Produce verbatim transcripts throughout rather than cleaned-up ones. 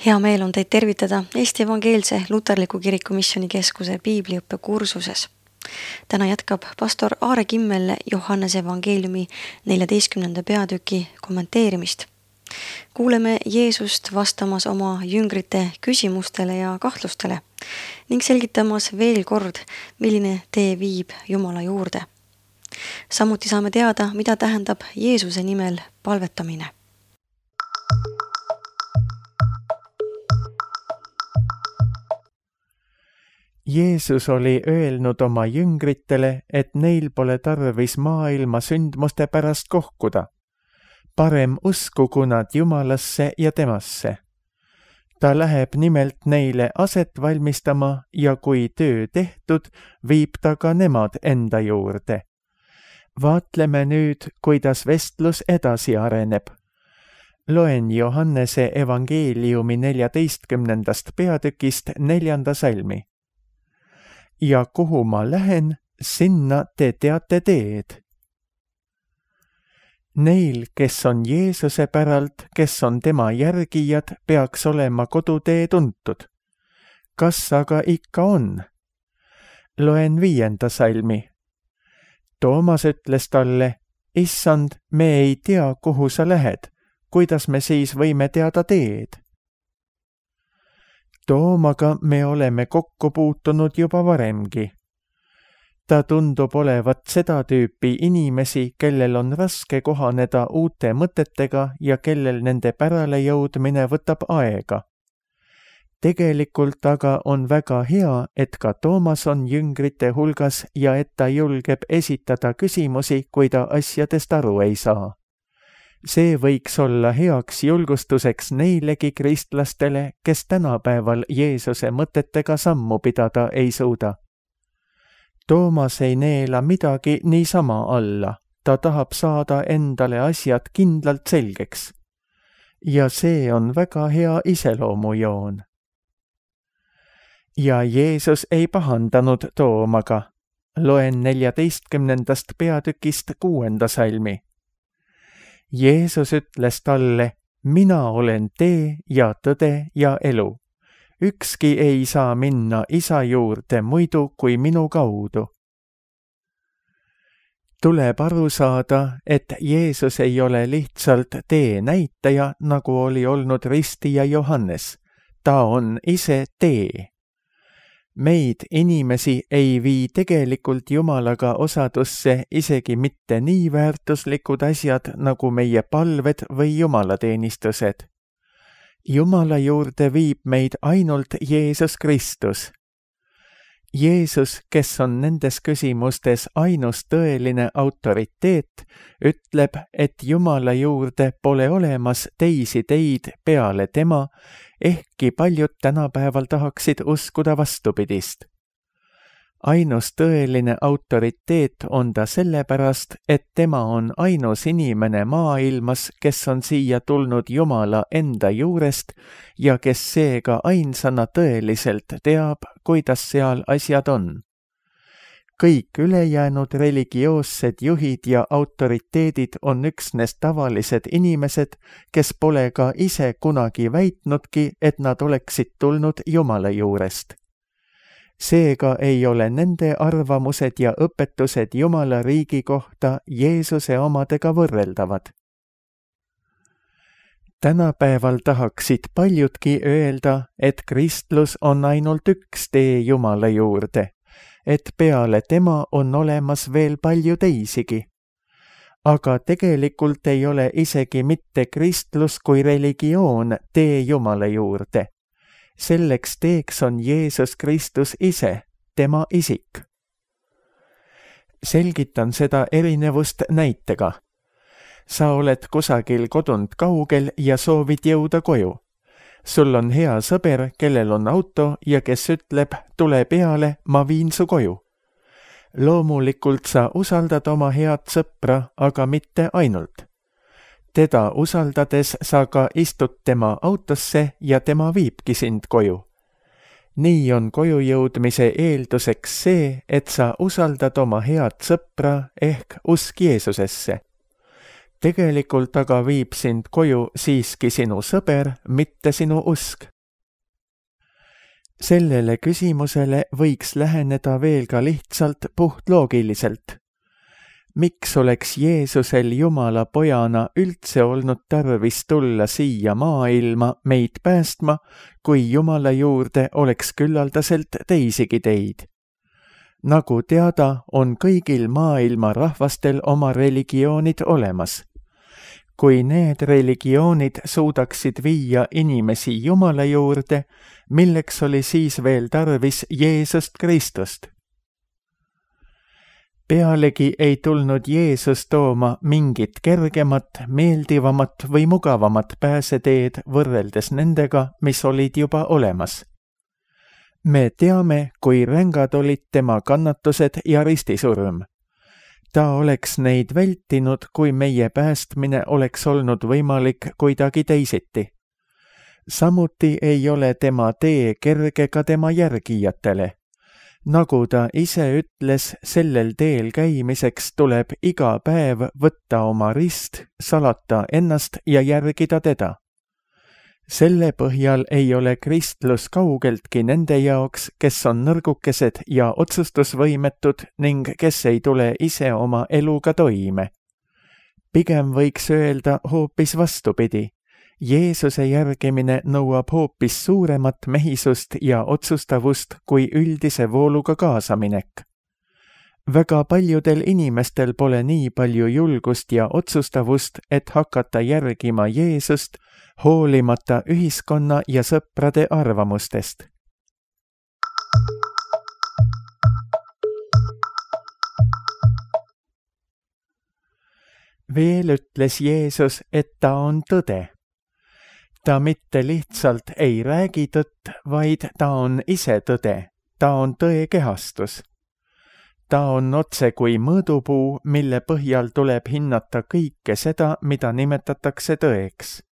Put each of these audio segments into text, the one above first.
Hea meel on teid tervitada Eesti Evangeelse Luterliku Kiriku Missioonikeskuse piibliõppe kursuses. Täna jätkab pastor Aare Kimmel Johannese evangeeliumi neljateistkümnenda peatüki kommenteerimist. Kuuleme Jeesust vastamas oma jüngrite küsimustele ja kahtlustele ning selgitamas veel kord, milline tee viib Jumala juurde. Samuti saame teada, mida tähendab Jeesuse nimel palvetamine. Jeesus oli öelnud oma jüngritele, et neil pole tarvis maailma sündmuste pärast kohkuda. Parem uskugu nad Jumalasse ja temasse. Ta läheb nimelt neile aset valmistama ja kui töö tehtud, viib ta ka nemad enda juurde. Vaatleme nüüd, kuidas vestlus edasi areneb. Loen Johannese evangeeliumi neljateistkümnendast peatükist neljanda salmi. Ja kuhu ma lähen, sinna te teate teed. Neil, kes on Jeesuse päralt, kes on tema järgijad, peaks olema kodutee tuntud. Kas aga ikka on? Loen viienda salmi. Toomas ütles talle, Issand, me ei tea, kuhu sa lähed, kuidas me siis võime teada teed? Toomaga me oleme kokku puutunud juba varemgi. Ta tundub olevat seda tüüpi inimesi, kellel on raske kohaneda uute mõtetega ja kellel nende pärale jõudmine võtab aega. Tegelikult aga on väga hea, et ka Toomas on jüngrite hulgas ja et ta julgeb esitada küsimusi, kui ta asjadest aru ei saa. See võiks olla heaks julgustuseks neilegi kristlastele, kes tänapäeval Jeesuse mõtetega sammu pidada ei suuda. Toomas ei neela midagi niisama alla, ta tahab saada endale asjad kindlalt selgeks. Ja see on väga hea iseloomujoon. Ja Jeesus ei pahandanud Toomaga. Loen neljateistkümnendast peatükist kuuenda salmi. Jeesus ütles talle, mina olen tee ja tõde ja elu. Ükski ei saa minna isa juurde muidu kui minu kaudu. Tuleb aru saada, et Jeesus ei ole lihtsalt tee näitaja, nagu oli olnud ristija Johannes. Ta on ise tee. Meid inimesi ei vii tegelikult Jumalaga osadusse isegi mitte nii väärtuslikud asjad nagu meie palved või jumalateenistused. Jumala juurde viib meid ainult Jeesus Kristus. Jeesus, kes on nendes küsimustes ainus tõeline autoriteet, ütleb, et Jumala juurde pole olemas teisi teid peale tema, ehkki paljud tänapäeval tahaksid uskuda vastupidist. Ainus tõeline autoriteet on ta sellepärast, et tema on ainus inimene maailmas, kes on siia tulnud Jumala enda juurest ja kes seega ainsana tõeliselt teab, kuidas seal asjad on. Kõik ülejäänud religioossed juhid ja autoriteedid on üksnes tavalised inimesed, kes pole ka ise kunagi väitnudki, et nad oleksid tulnud Jumala juurest. Seega ei ole nende arvamused ja õpetused Jumala riigi kohta Jeesuse omadega võrreldavad. Tänapäeval tahaksid paljudki öelda, et kristlus on ainult üks tee Jumala juurde, et peale tema on olemas veel palju teisigi. Aga tegelikult ei ole isegi mitte kristlus kui religioon tee Jumala juurde. Selleks teeks on Jeesus Kristus ise, tema isik. Selgitan seda erinevust näitega. Sa oled kusagil kodunt kaugel ja soovid jõuda koju. Sul on hea sõber, kellel on auto ja kes ütleb, tule peale, ma viin su koju. Loomulikult sa usaldad oma head sõpra, aga mitte ainult. Teda usaldades sa ka istud tema autosse ja tema viibki sind koju. Nii on koju jõudmise eelduseks see, et sa usaldad oma head sõpra ehk usk Jeesusesse. Tegelikult aga viib sind koju siiski sinu sõber, mitte sinu usk. sellele küsimusele võiks läheneda veel ka lihtsalt puhtloogiliselt. Miks oleks Jeesusel Jumala pojana üldse olnud tarvis tulla siia maailma meid päästma, kui Jumala juurde oleks küllaldaselt teisigi teid? Nagu teada, on kõigil maailma rahvastel oma religioonid olemas. Kui need religioonid suudaksid viia inimesi Jumala juurde, milleks oli siis veel tarvis Jeesust Kristust? Pealegi ei tulnud Jeesus tooma mingit kergemat, meeldivamat või mugavamat pääseteed võrreldes nendega, mis olid juba olemas. Me teame, kui rängad olid tema kannatused ja ristisurm. Ta oleks neid vältinud, kui meie päästmine oleks olnud võimalik kuidagi teisiti. Samuti ei ole tema tee kerge ka tema järgijatele. Nagu ta ise ütles, sellel teel käimiseks tuleb iga päev võtta oma rist, salata ennast ja järgida teda. Selle põhjal ei ole kristlus kaugeltki nende jaoks, kes on nõrgukesed ja otsustusvõimetud ning kes ei tule ise oma eluga toime. Pigem võiks öelda hoopis vastupidi. Jeesuse järgimine nõuab hoopis suuremat mehisust ja otsustavust kui üldise vooluga kaasaminek. Väga paljudel inimestel pole nii palju julgust ja otsustavust, et hakata järgima Jeesust, hoolimata ühiskonna ja sõprade arvamustest. Veel ütles Jeesus, et ta on tõde. Ta mitte lihtsalt ei räägi tõtt, vaid ta on ise tõde. Ta on tõe kehastus. Ta on otse kui mõõdupuu, mille põhjal tuleb hinnata kõike seda, mida nimetatakse tõeks.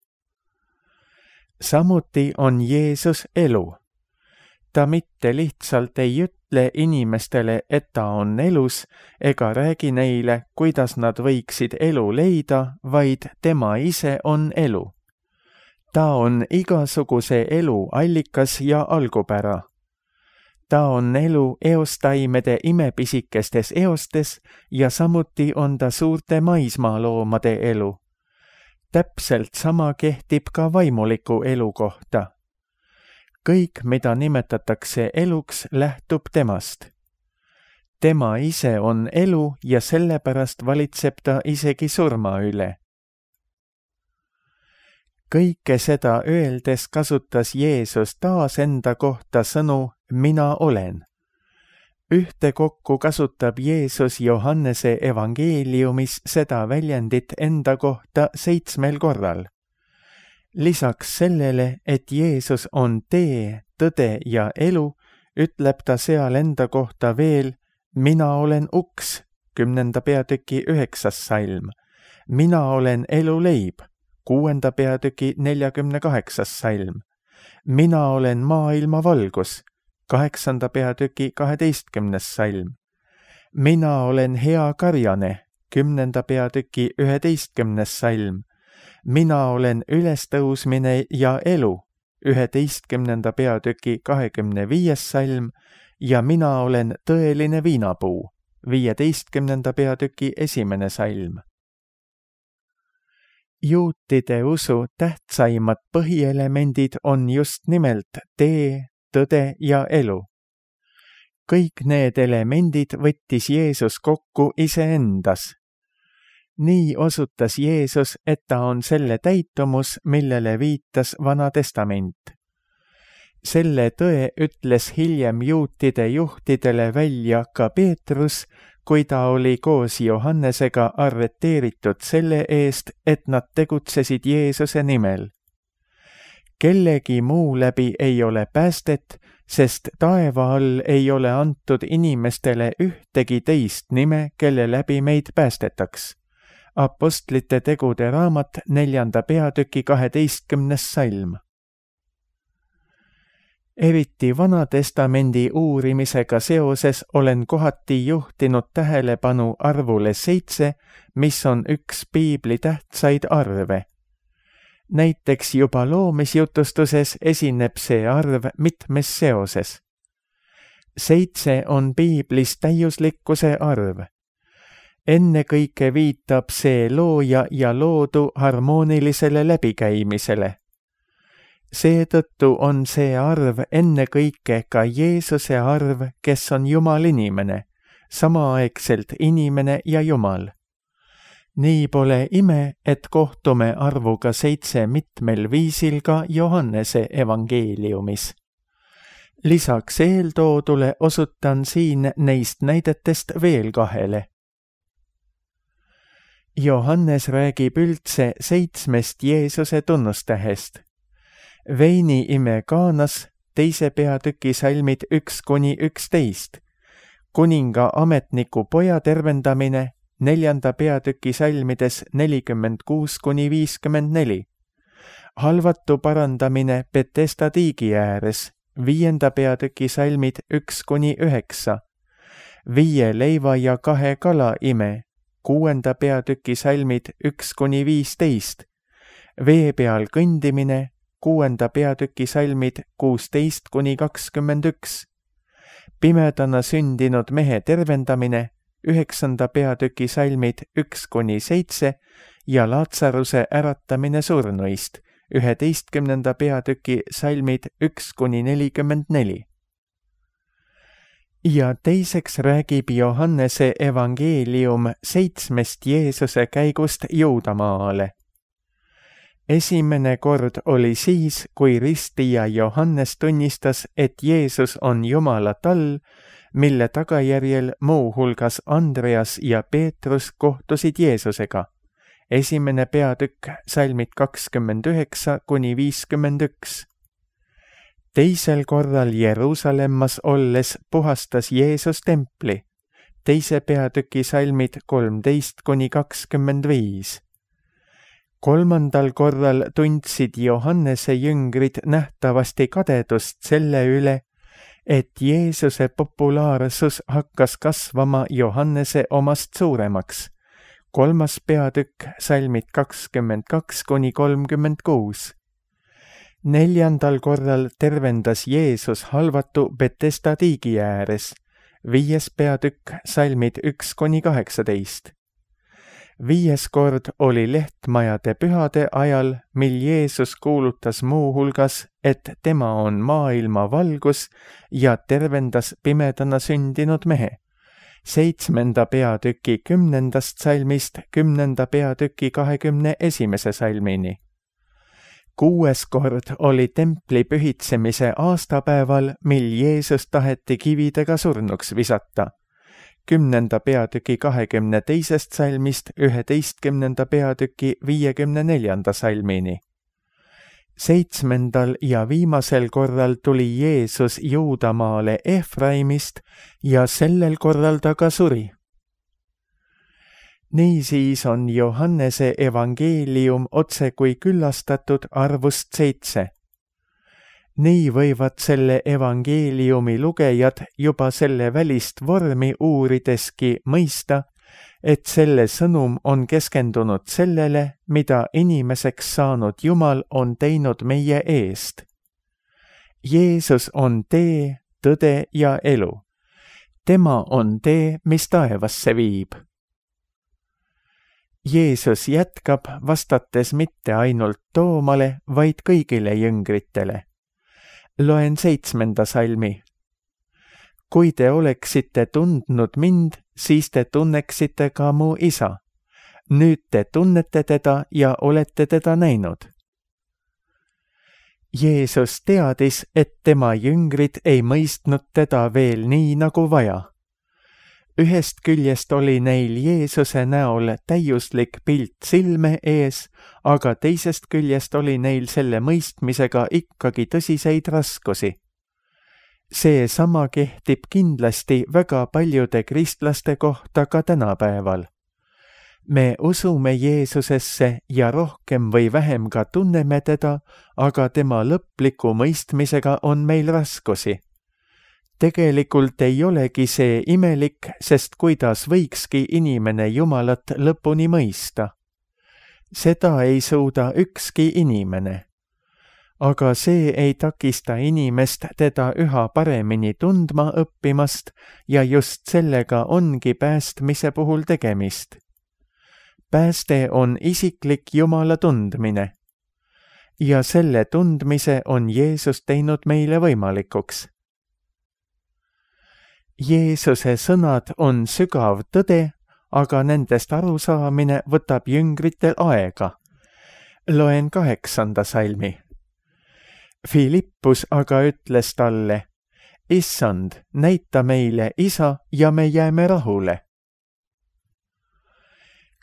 Samuti on Jeesus elu. Ta mitte lihtsalt ei ütle inimestele, et ta on elus, ega räägi neile, kuidas nad võiksid elu leida, vaid tema ise on elu. Ta on igasuguse elu allikas ja algupära. Ta on elu eostaimede imepisikestes eostes ja samuti on ta suurte maismaaloomade elu. Täpselt sama kehtib ka vaimuliku elu kohta. Kõik, mida nimetatakse eluks, lähtub temast. Tema ise on elu ja sellepärast valitseb ta isegi surma üle. Kõike seda öeldes kasutas Jeesus taas enda kohta sõnu mina olen. Ühtekokku kasutab Jeesus Johannese evangeeliumis seda väljendit enda kohta seitsmel korral. Lisaks sellele, et Jeesus on tee, tõde ja elu, ütleb ta seal enda kohta veel mina olen uks, kümnenda peatüki üheksas salm, mina olen eluleib, kuuenda peatüki neljakümne kaheksas salm. Mina olen maailma valgus, kaheksanda peatüki kaheteistkümnes salm. Mina olen hea karjane, kümnenda peatüki üheteistkümnes salm. Mina olen ülestõusmine ja elu, üheteistkümnenda peatüki kahekümne viies salm ja mina olen tõeline viinapuu, viieteistkümnenda peatüki esimene salm. Juutide usu tähtsaimad põhielemendid on just nimelt tee, tõde ja elu. Kõik need elemendid võttis Jeesus kokku iseendas. Nii osutas Jeesus, et ta on selle täitumus, millele viitas Vana Testament. Selle tõe ütles hiljem juutide juhtidele välja ka Peetrus, kui ta oli koos Johannesega arreteeritud selle eest, et nad tegutsesid Jeesuse nimel. Kellegi muu läbi ei ole päästet, sest taeva all ei ole antud inimestele ühtegi teist nime, kelle läbi meid päästetaks. Apostlite tegude raamat neljanda peatüki kaheteistkümnes salm. Eriti Vanatestamendi uurimisega seoses olen kohati juhtinud tähelepanu arvule seitse, mis on üks piibli tähtsaid arve. näiteks juba loomisjutustuses esineb see arv mitmes seoses. Seitse on piiblis täiuslikkuse arv. Ennekõike viitab see looja ja loodu harmoonilisele läbikäimisele. Seetõttu on see arv ennekõike ka Jeesuse arv, kes on Jumal inimene, samaaegselt inimene ja Jumal. Nii pole ime, et kohtume arvuga seitse mitmel viisil ka Johannese evangeeliumis. Lisaks eeltoodule osutan siin neist näidetest veel kahele. Johannes räägib üldse seitsmest Jeesuse tunnustähest. Veini ime Kaanas, teise peatüki salmid üks kuni üksteist, kuninga ametniku poja tervendamine, neljanda peatüki salmides nelikümmend kuus kuni viiskümmend neli, halvatu parandamine Betesda tiigi ääres, viienda peatüki salmid üks kuni üheksa, viie leiva ja kahe kala ime, kuuenda peatüki salmid üks kuni viisteist, vee peal kõndimine, kuuenda peatüki salmid kuusteist kuni kakskümmend üks, pimedana sündinud mehe tervendamine, üheksanda peatüki salmid üks kuni seitse ja Laatsaruse äratamine surnuist, üheteistkümnenda peatüki salmid üks kuni nelikümmend neli. Ja teiseks räägib Johannese evangeelium seitsmest Jeesuse käigust Juudamaale. Esimene kord oli siis, kui ristija Johannes tunnistas, et Jeesus on Jumala tall, mille tagajärjel muu hulgas Andreas ja Peetrus kohtusid Jeesusega. Esimene peatükk, salmid kakskümmend üheksa kuni viiskümmend üks. Teisel korral Jeruusalemmas olles puhastas Jeesus templi. Teise peatüki salmid kolmteist kuni kakskümmend viis. Kolmandal korral tundsid Johannese jüngrid nähtavasti kadedust selle üle, et Jeesuse populaarsus hakkas kasvama Johannese omast suuremaks. Kolmas peatükk, salmid kakskümmend kaks kuni kolmkümmend kuus. Neljandal korral tervendas Jeesus halvatu Betesda tiigi ääres. Viies peatükk, salmid üks kuni kaheksateist. Viies kord oli lehtmajade pühade ajal, mil Jeesus kuulutas muu hulgas, et tema on maailma valgus ja tervendas pimedana sündinud mehe. Seitsmenda peatüki kümnendast salmist kümnenda peatüki kahekümne esimese salmini. Kuues kord oli templi pühitsemise aastapäeval, mil Jeesus taheti kividega surnuks visata. Kümnenda peatüki kahekümne teisest salmist üheteistkümnenda peatüki viiekümne neljanda salmini. Seitsmendal ja viimasel korral tuli Jeesus Juudamaale Efraimist ja sellel korral ta ka suri. Niisiis on Johannese evangeelium otse kui küllastatud arvust seitse. Nii võivad selle evangeeliumi lugejad juba selle välist vormi uurideski mõista, et selle sõnum on keskendunud sellele, mida inimeseks saanud Jumal on teinud meie eest. Jeesus on tee, tõde ja elu. Tema on tee, mis taevasse viib. Jeesus jätkab, vastates mitte ainult Toomale, vaid kõigile jüngritele. Loen seitsmenda salmi. Kui te oleksite tundnud mind, siis te tunneksite ka mu isa. Nüüd te tunnete teda ja olete teda näinud. Jeesus teadis, et tema jüngrid ei mõistnud teda veel nii nagu vaja. Ühest küljest oli neil Jeesuse näol täiuslik pilt silme ees, aga teisest küljest oli neil selle mõistmisega ikkagi tõsiseid raskusi. See sama kehtib kindlasti väga paljude kristlaste kohta ka tänapäeval. Me usume Jeesusesse ja rohkem või vähem ka tunneme teda, aga tema lõpliku mõistmisega on meil raskusi. Tegelikult ei olegi see imelik, sest kuidas võikski inimene Jumalat lõpuni mõista. seda ei suuda ükski inimene. Aga see ei takista inimest teda üha paremini tundma õppimast ja just sellega ongi päästmise puhul tegemist. Pääste on isiklik Jumala tundmine. Ja selle tundmise on Jeesus teinud meile võimalikuks. Jeesuse sõnad on sügav tõde, aga nendest arusaamine võtab jüngritel aega. Loen kaheksanda salmi. Filippus aga ütles talle, Issand, näita meile Isa ja me jääme rahule.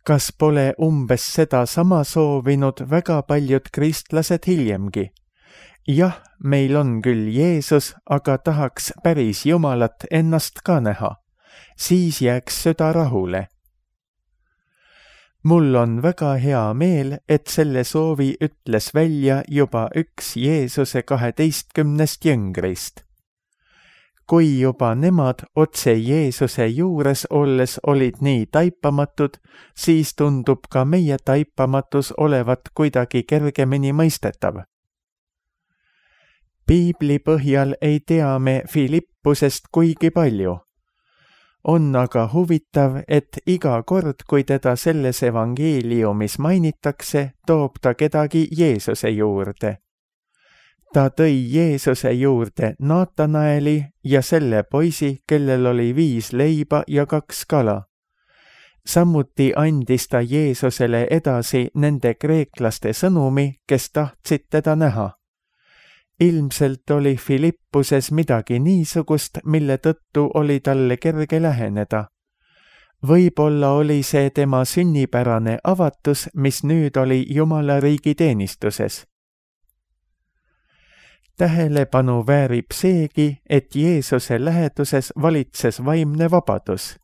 Kas pole umbes seda sama soovinud väga paljud kristlased hiljemgi? Jah, meil on küll Jeesus, aga tahaks päris Jumalat ennast ka näha. Siis jääks süda rahule. Mul on väga hea meel, et selle soovi ütles välja juba üks Jeesuse kaheteistkümnest jüngrist. Kui juba nemad otse Jeesuse juures olles olid nii taipamatud, siis tundub ka meie taipamatus olevat kuidagi kergemini mõistetav. Piibli põhjal ei tea me Filippusest kuigi palju. On aga huvitav, et iga kord, kui teda selles evangeeliumis mainitakse, toob ta kedagi Jeesuse juurde. Ta tõi Jeesuse juurde Naatanaeli ja selle poisi, kellel oli viis leiba ja kaks kala. Samuti andis ta Jeesusele edasi nende kreeklaste sõnumi, kes tahtsid teda näha. Ilmselt oli Filippuses midagi niisugust, mille tõttu oli talle kerge läheneda. Võib-olla oli see tema sünnipärane avatus, mis nüüd oli Jumala riigi teenistuses. Tähelepanu väärib seegi, et Jeesuse läheduses valitses vaimne vabadus.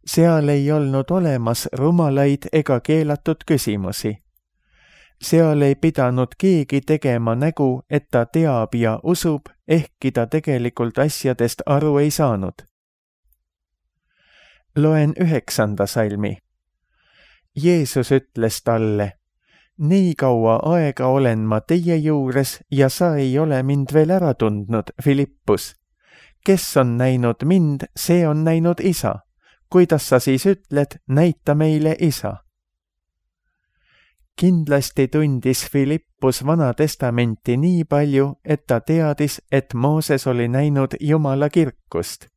Seal ei olnud olemas rumalaid ega keelatud küsimusi. Seal ei pidanud keegi tegema nägu, et ta teab ja usub, ehkki ta tegelikult asjadest aru ei saanud. Loen üheksanda salmi. Jeesus ütles talle, nii kaua aega olen ma teie juures ja sa ei ole mind veel ära tundnud, Filippus. Kes on näinud mind, see on näinud Isa. Kuidas sa siis ütled, näita meile Isa? Kindlasti tundis Filippus Vana Testamenti nii palju, et ta teadis, et Mooses oli näinud Jumala kirkust.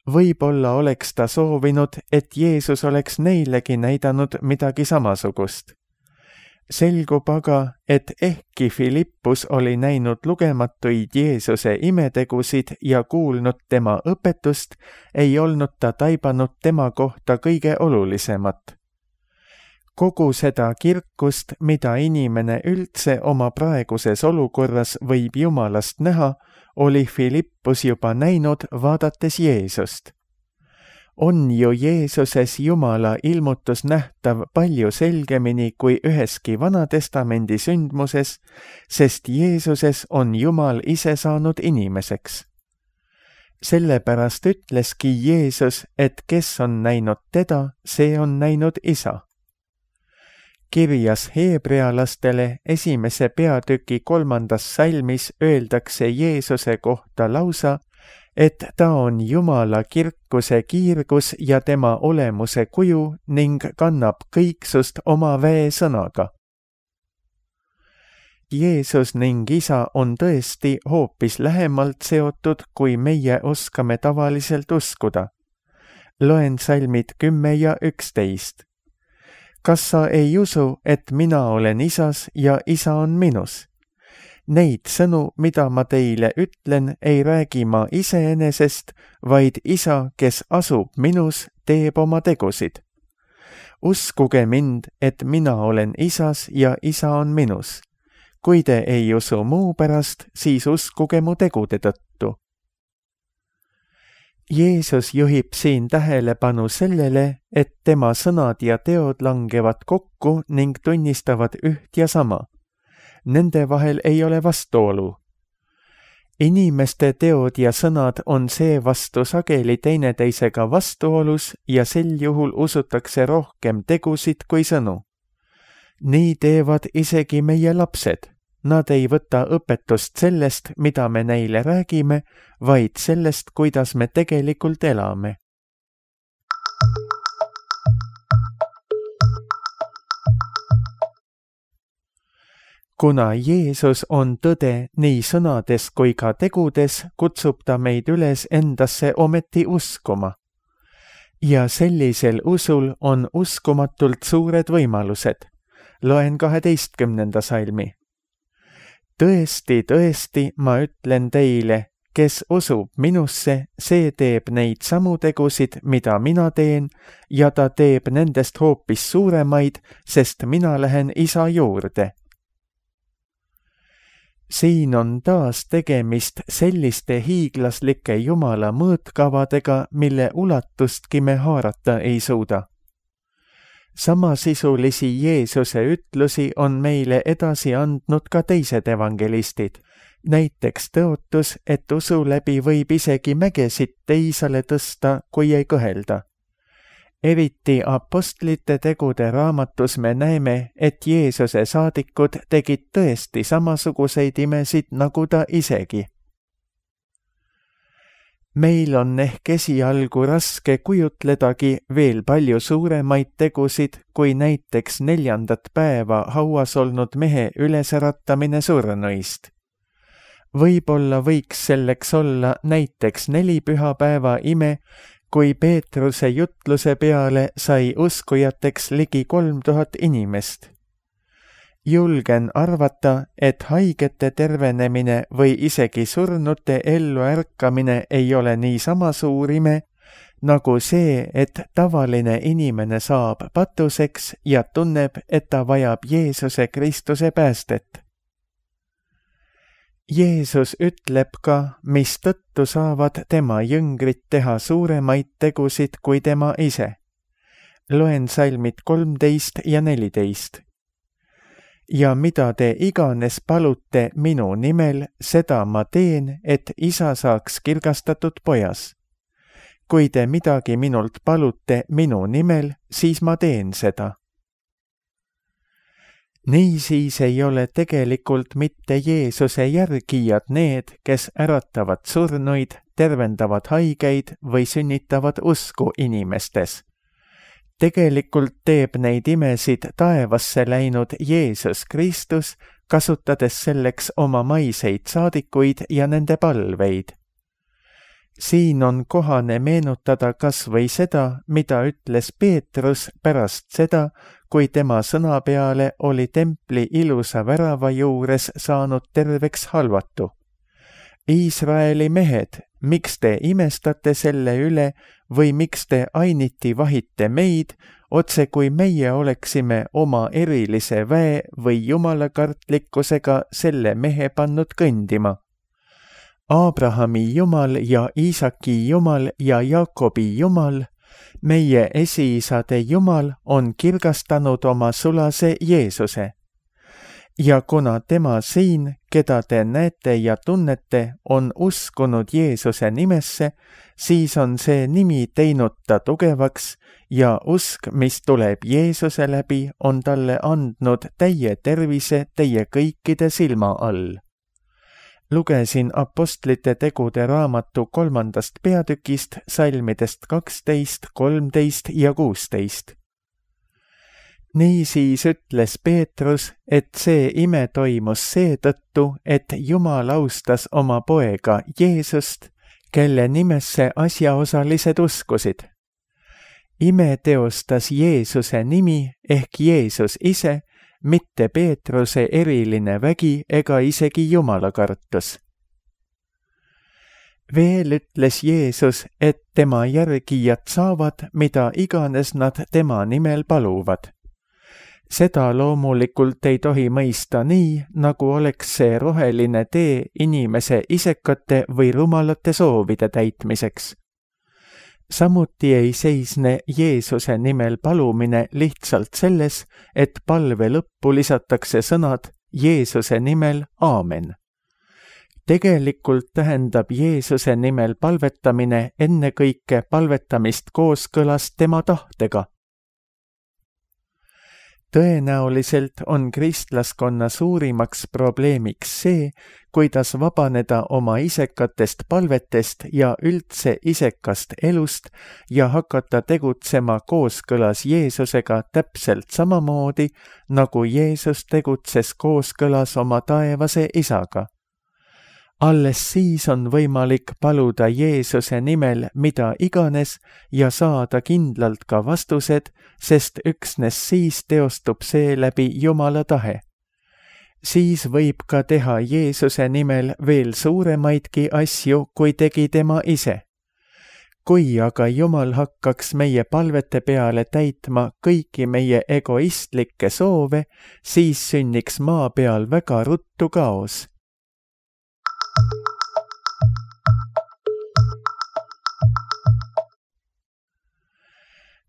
Võib-olla oleks ta soovinud, et Jeesus oleks neilegi näidanud midagi samasugust. Selgub aga, et ehkki Filippus oli näinud lugematuid Jeesuse imetegusid ja kuulnud tema õpetust, ei olnud ta taibanud tema kohta kõige olulisemat. Kogu seda kirkust, mida inimene üldse oma praeguses olukorras võib Jumalast näha, oli Filippus juba näinud, vaadates Jeesust. On ju Jeesuses Jumala ilmutus nähtav palju selgemini kui üheski Vanatestamendi sündmuses, sest Jeesuses on Jumal ise saanud inimeseks. Sellepärast ütleski Jeesus, et kes on näinud teda, see on näinud Isa. Kirjas heebrealastele esimese peatüki kolmandas salmis öeldakse Jeesuse kohta lausa, et ta on Jumala kirkuse kiirgus ja tema olemuse kuju ning kannab kõiksust oma väesõnaga. Jeesus ning Isa on tõesti hoopis lähemalt seotud, kui meie oskame tavaliselt uskuda. Loen salmid kümme ja üksteist. Kas sa ei usu, et mina olen Isas ja Isa on minus? Neid sõnu, mida ma teile ütlen, ei räägi ma iseenesest, vaid Isa, kes asub minus, teeb oma tegusid. Uskuge mind, et mina olen Isas ja Isa on minus. Kui te ei usu muu pärast, siis uskuge mu tegude tõttu. Jeesus juhib siin tähelepanu sellele, et tema sõnad ja teod langevad kokku ning tunnistavad üht ja sama. Nende vahel ei ole vastuolu. Inimeste teod ja sõnad on seevastu sageli teineteisega vastuolus ja sel juhul usutakse rohkem tegusid kui sõnu. nii teevad isegi meie lapsed. Nad ei võta õpetust sellest, mida me neile räägime, vaid sellest, kuidas me tegelikult elame. Kuna Jeesus on tõde nii sõnades kui ka tegudes, kutsub ta meid üles endasse ometi uskuma. Ja sellisel usul on uskumatult suured võimalused. Loen kaheteistkümnenda salmi. Tõesti, tõesti, ma ütlen teile, kes usub minusse, see teeb neid samu tegusid, mida mina teen, ja ta teeb nendest hoopis suuremaid, sest mina lähen isa juurde. Siin on taas tegemist selliste hiiglaslike Jumala mõõtkavadega, mille ulatustki me haarata ei suuda. Samasisulisi Jeesuse ütlusi on meile edasi andnud ka teised evangelistid. Näiteks tõotus, et usu läbi võib isegi mägesid teisale tõsta, kui ei kõhelda. Eriti apostlite tegude raamatus me näeme, et Jeesuse saadikud tegid tõesti samasuguseid imesid nagu ta isegi. Meil on ehk esialgu raske kujutledagi veel palju suuremaid tegusid, kui näiteks neljandat päeva hauas olnud mehe ülesäratamine surnuist. Võib-olla võiks selleks olla näiteks neli pühapäeva ime, kui Peetruse jutluse peale sai uskujateks ligi kolm tuhat inimest. Julgen arvata, et haigete tervenemine või isegi surnute ellu ärkamine ei ole niisama suur ime, nagu see, et tavaline inimene saab patuseks ja tunneb, et ta vajab Jeesuse Kristuse päästet. Jeesus ütleb ka, mis tõttu saavad tema jüngrid teha suuremaid tegusid kui tema ise. Loen salmid kolmteist ja neliteist. Ja mida te iganes palute minu nimel, seda ma teen, et isa saaks kirgastatud pojas. Kui te midagi minult palute minu nimel, siis ma teen seda. Niisiis ei ole tegelikult mitte Jeesuse järgijad need, kes äratavad surnuid, tervendavad haigeid või sünnitavad usku inimestes. Tegelikult teeb neid imesid taevasse läinud Jeesus Kristus, kasutades selleks oma maiseid saadikuid ja nende palveid. Siin on kohane meenutada kas või seda, mida ütles Peetrus pärast seda, kui tema sõna peale oli templi ilusa värava juures saanud terveks halvatu. Iisraeli mehed, miks te imestate selle üle või miks te ainiti vahite meid, otse kui meie oleksime oma erilise väe või jumalakartlikkusega selle mehe pannud kõndima? Abrahami Jumal ja Iisaki Jumal ja Jaakobi Jumal, meie esiisade Jumal on kirgastanud oma sulase Jeesuse. Ja kuna tema siin, keda te näete ja tunnete, on uskunud Jeesuse nimesse, siis on see nimi teinud ta tugevaks ja usk, mis tuleb Jeesuse läbi, on talle andnud täie tervise teie kõikide silma all. Lugesin apostlite tegude raamatu kolmandast peatükist salmidest kaksteist, kolmteist ja kuusteist. Niisiis ütles Peetrus, et see ime toimus seetõttu, et Jumal austas oma poega Jeesust, kelle nimesse asjaosalised uskusid. Ime teostas Jeesuse nimi ehk Jeesus ise, mitte Peetruse eriline vägi ega isegi jumalakartus. Veel ütles Jeesus, et tema järgijad saavad, mida iganes nad tema nimel paluvad. Seda loomulikult ei tohi mõista nii, nagu oleks see roheline tee inimese isekate või rumalate soovide täitmiseks. Samuti ei seisne Jeesuse nimel palumine lihtsalt selles, et palve lõppu lisatakse sõnad Jeesuse nimel aamen. Tegelikult tähendab Jeesuse nimel palvetamine ennekõike palvetamist kooskõlas tema tahtega. Tõenäoliselt on kristlaskonna suurimaks probleemiks see, kuidas vabaneda oma isekatest palvetest ja üldse isekast elust ja hakata tegutsema kooskõlas Jeesusega täpselt samamoodi, nagu Jeesus tegutses kooskõlas oma taevase isaga. Alles siis on võimalik paluda Jeesuse nimel mida iganes ja saada kindlalt ka vastused, sest üksnes siis teostub see läbi Jumala tahe. Siis võib ka teha Jeesuse nimel veel suuremaidki asju, kui tegi tema ise. Kui aga Jumal hakkaks meie palvete peale täitma kõiki meie egoistlikke soove, siis sünniks maa peal väga ruttu kaos.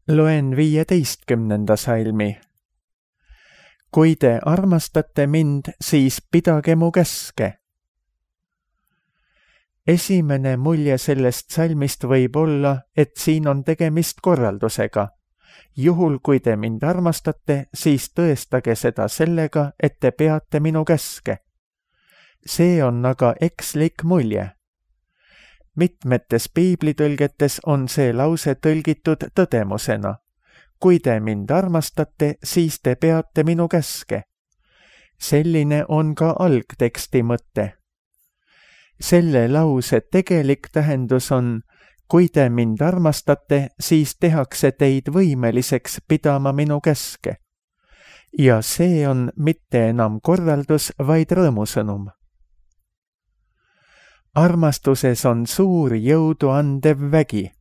Loen viieteistkümnenda salmi. Kui te armastate mind, siis pidage mu käske. Esimene mulje sellest salmist võib olla, et siin on tegemist korraldusega. Juhul, kui te mind armastate, siis tõestage seda sellega, et te peate minu käske. See on aga ekslik mulje. Mitmetes piiblitõlgetes on see lause tõlgitud tõdemusena. Kui te mind armastate, siis te peate minu käske. Selline on ka algteksti mõte. Selle lause tegelik tähendus on, kui te mind armastate, siis tehakse teid võimeliseks pidama minu käske. Ja see on mitte enam korraldus, vaid rõõmusõnum. Armastuses on suur jõudu andev vägi.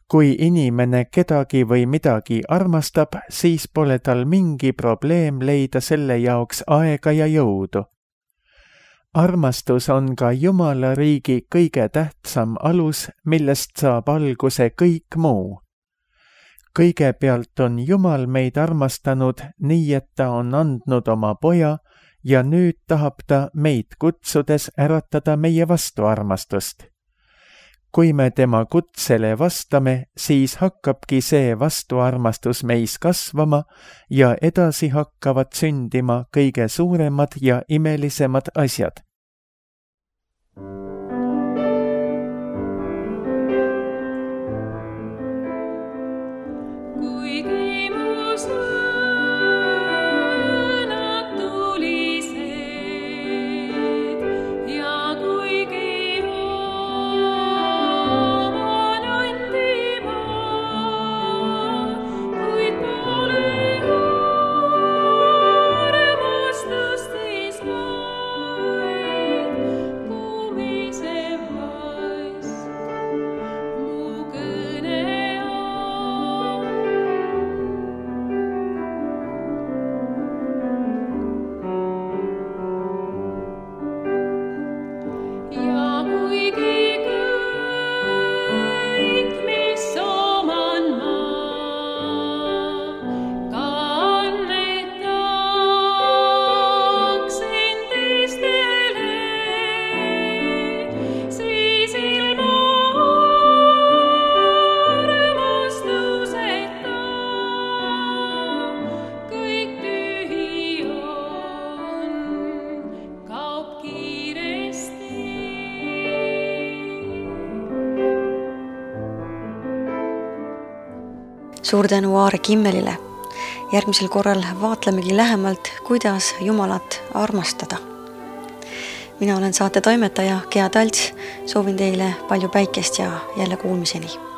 Kui inimene kedagi või midagi armastab, siis pole tal mingi probleem leida selle jaoks aega ja jõudu. Armastus on ka Jumala riigi kõige tähtsam alus, millest saab alguse kõik muu. Kõigepealt on Jumal meid armastanud nii, et ta on andnud oma poja, ja nüüd tahab ta meid kutsudes äratada meie vastu armastust. Kui me tema kutsele vastame, siis hakkabki see vastuarmastus meis kasvama ja edasi hakkavad sündima kõige suuremad ja imelisemad asjad. Suur tänu Aare Kimmelile. Järgmisel korral vaatlemegi lähemalt, kuidas Jumalat armastada. Mina olen saate toimetaja Gea Talts, soovin teile palju päikest ja jälle kuulmiseni.